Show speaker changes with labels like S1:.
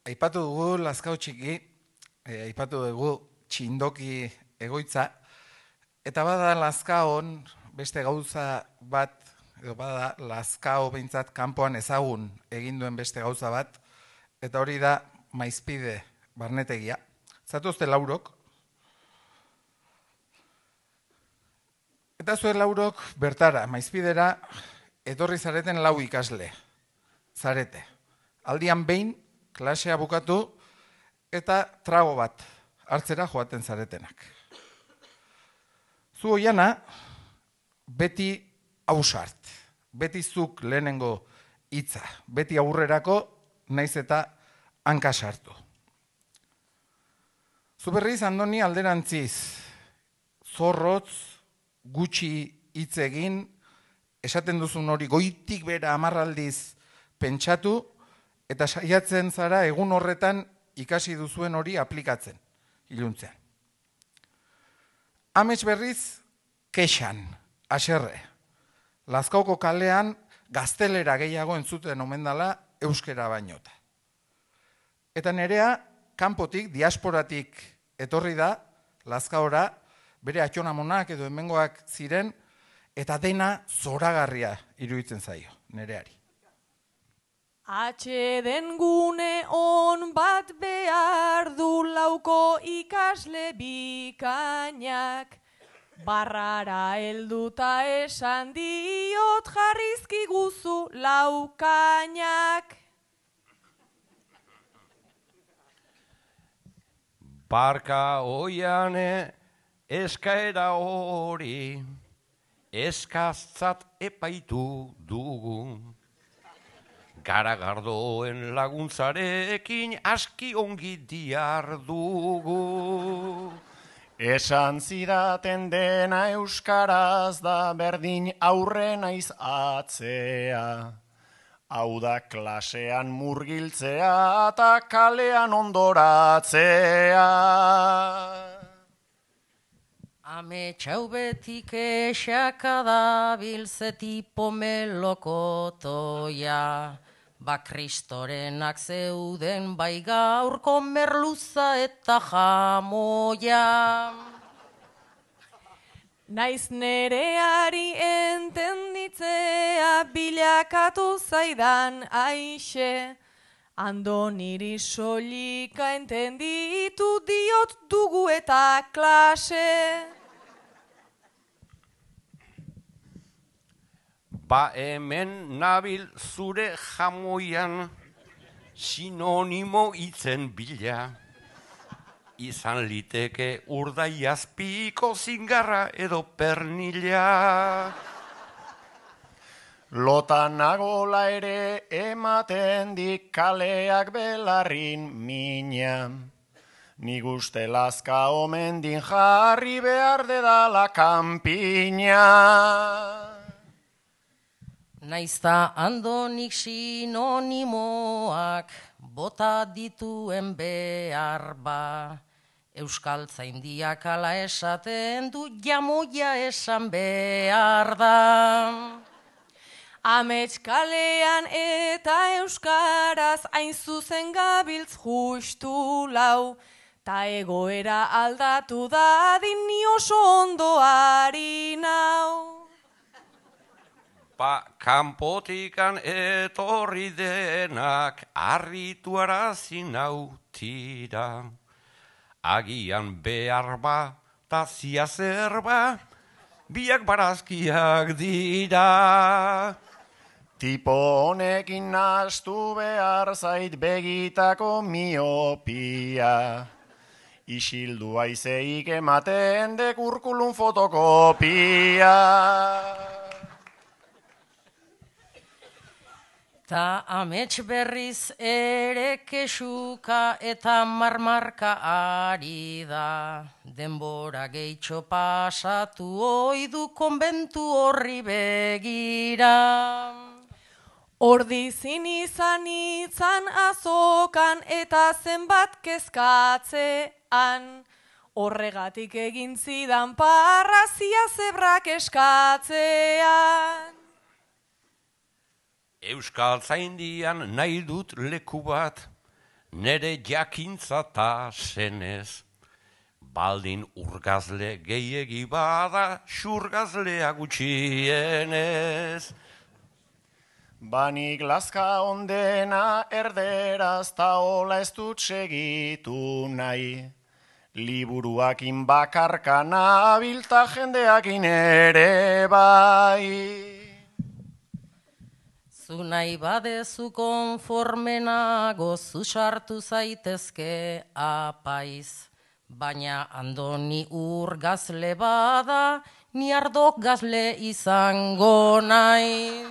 S1: Aipatu dugu Lazkao txiki, aipatu dugu txindoki egoitza, eta bada Lazkaon beste gauza bat, edo bada Lazkao behintzat kanpoan ezagun egin duen beste gauza bat, eta hori da Maizpide barnetegia. Zatozte laurok, eta zuen laurok bertara, Maizpidera, etorri zareten 4 ikasle, zarete. Aldian behin, klasea bukatu eta trago bat hartzera joaten zaretenak. Zu oiana, beti ausart, beti zuk lehenengo hitza, beti aurrerako naiz eta hanka sartu. Zu berriz, Andoni, alderantziz, zorrotz, gutxi hitz egin, esaten duzun hori goitik bera 10 aldiz pentsatu, eta saiatzen zara egun horretan ikasi duzuen hori aplikatzen, iluntzean. Amets berriz, kexan, haserre. Lazkaoko kalean gaztelera gehiago entzuten omen dela euskera bainota. Eta nerea, kanpotik, diasporatik etorri da, Lazkaora, bere atxonamonak edo hemengoak ziren, eta dena zoragarria iruditzen zaio, nereari.
S2: Atxeden gune on bat behar du lauko ikasle bikainak, barrara helduta esan diot jarrizki guzu laukainak.
S3: Barka oiane eskaera hori, eskaztzat epaitu dugu. Garagardoen laguntzarekin aski ongi diardugu.
S4: Esan zidaten dena euskaraz da berdin aurre naiz atzea. Hau da klasean murgiltzea eta kalean ondoratzea.
S5: Ametxau betik esaka dabil zetipo melokotoia. Ba kristorenak zeuden bai gaurko merluza eta jamoia.
S2: Naiz nereari entenditzea bilakatu zaidan aixe, Andoniri solika entenditu diot dugu eta klase.
S3: Ba hemen nabil zure jamoian sinonimo hitzen bila. Izan liteke urdaiazpiko zingarra edo pernila.
S4: Lotanagola ere ematen dik kaleak belarrin mina. Nik uste Lazka omendin jarri behar dedala kanpina.
S5: Naizta Andonik sinonimoak bota dituen behar ba. Euskaltzaindiak ala esaten du jamoia esan behar da.
S2: Amets kalean eta euskaraz hain zuzen gabiltz justu lau, ta egoera aldatu dadin ni oso ondo ari nau.
S3: Ba kanpotikan etorri denak harritu arazi nau tira. Agian behar ba, ta ziazer ba, biak barazkiak dira.
S4: Tipo honekin nahastu behar zait begitako miopia. Isildu aizeik ematen dekurkulun fotokopia.
S5: Ta amets berriz ere kesuka eta marmarka ari da. Denbora gehitxo pasatu oidu konbentu horri begira.
S2: Ordizin izan itzan azokan eta zenbat kezkatzean. Horregatik egin zidan parrazia zebrak eskatzean.
S3: Euskaltzaindian nahi dut leku bat, nere jakintza ta senez. Baldin urgazle gehiegi bada, xurgazlea gutxienez.
S4: Banik lazka ondena erderaz ta hola ez dut segitu nahi. Liburuakin bakarkana abilta jendeakin ere bai.
S5: Zu nahi badezu konformenago zu sartu zaitezke apaiz. Baina Andoni urgazle bada, ni ardok gazle izango naiz.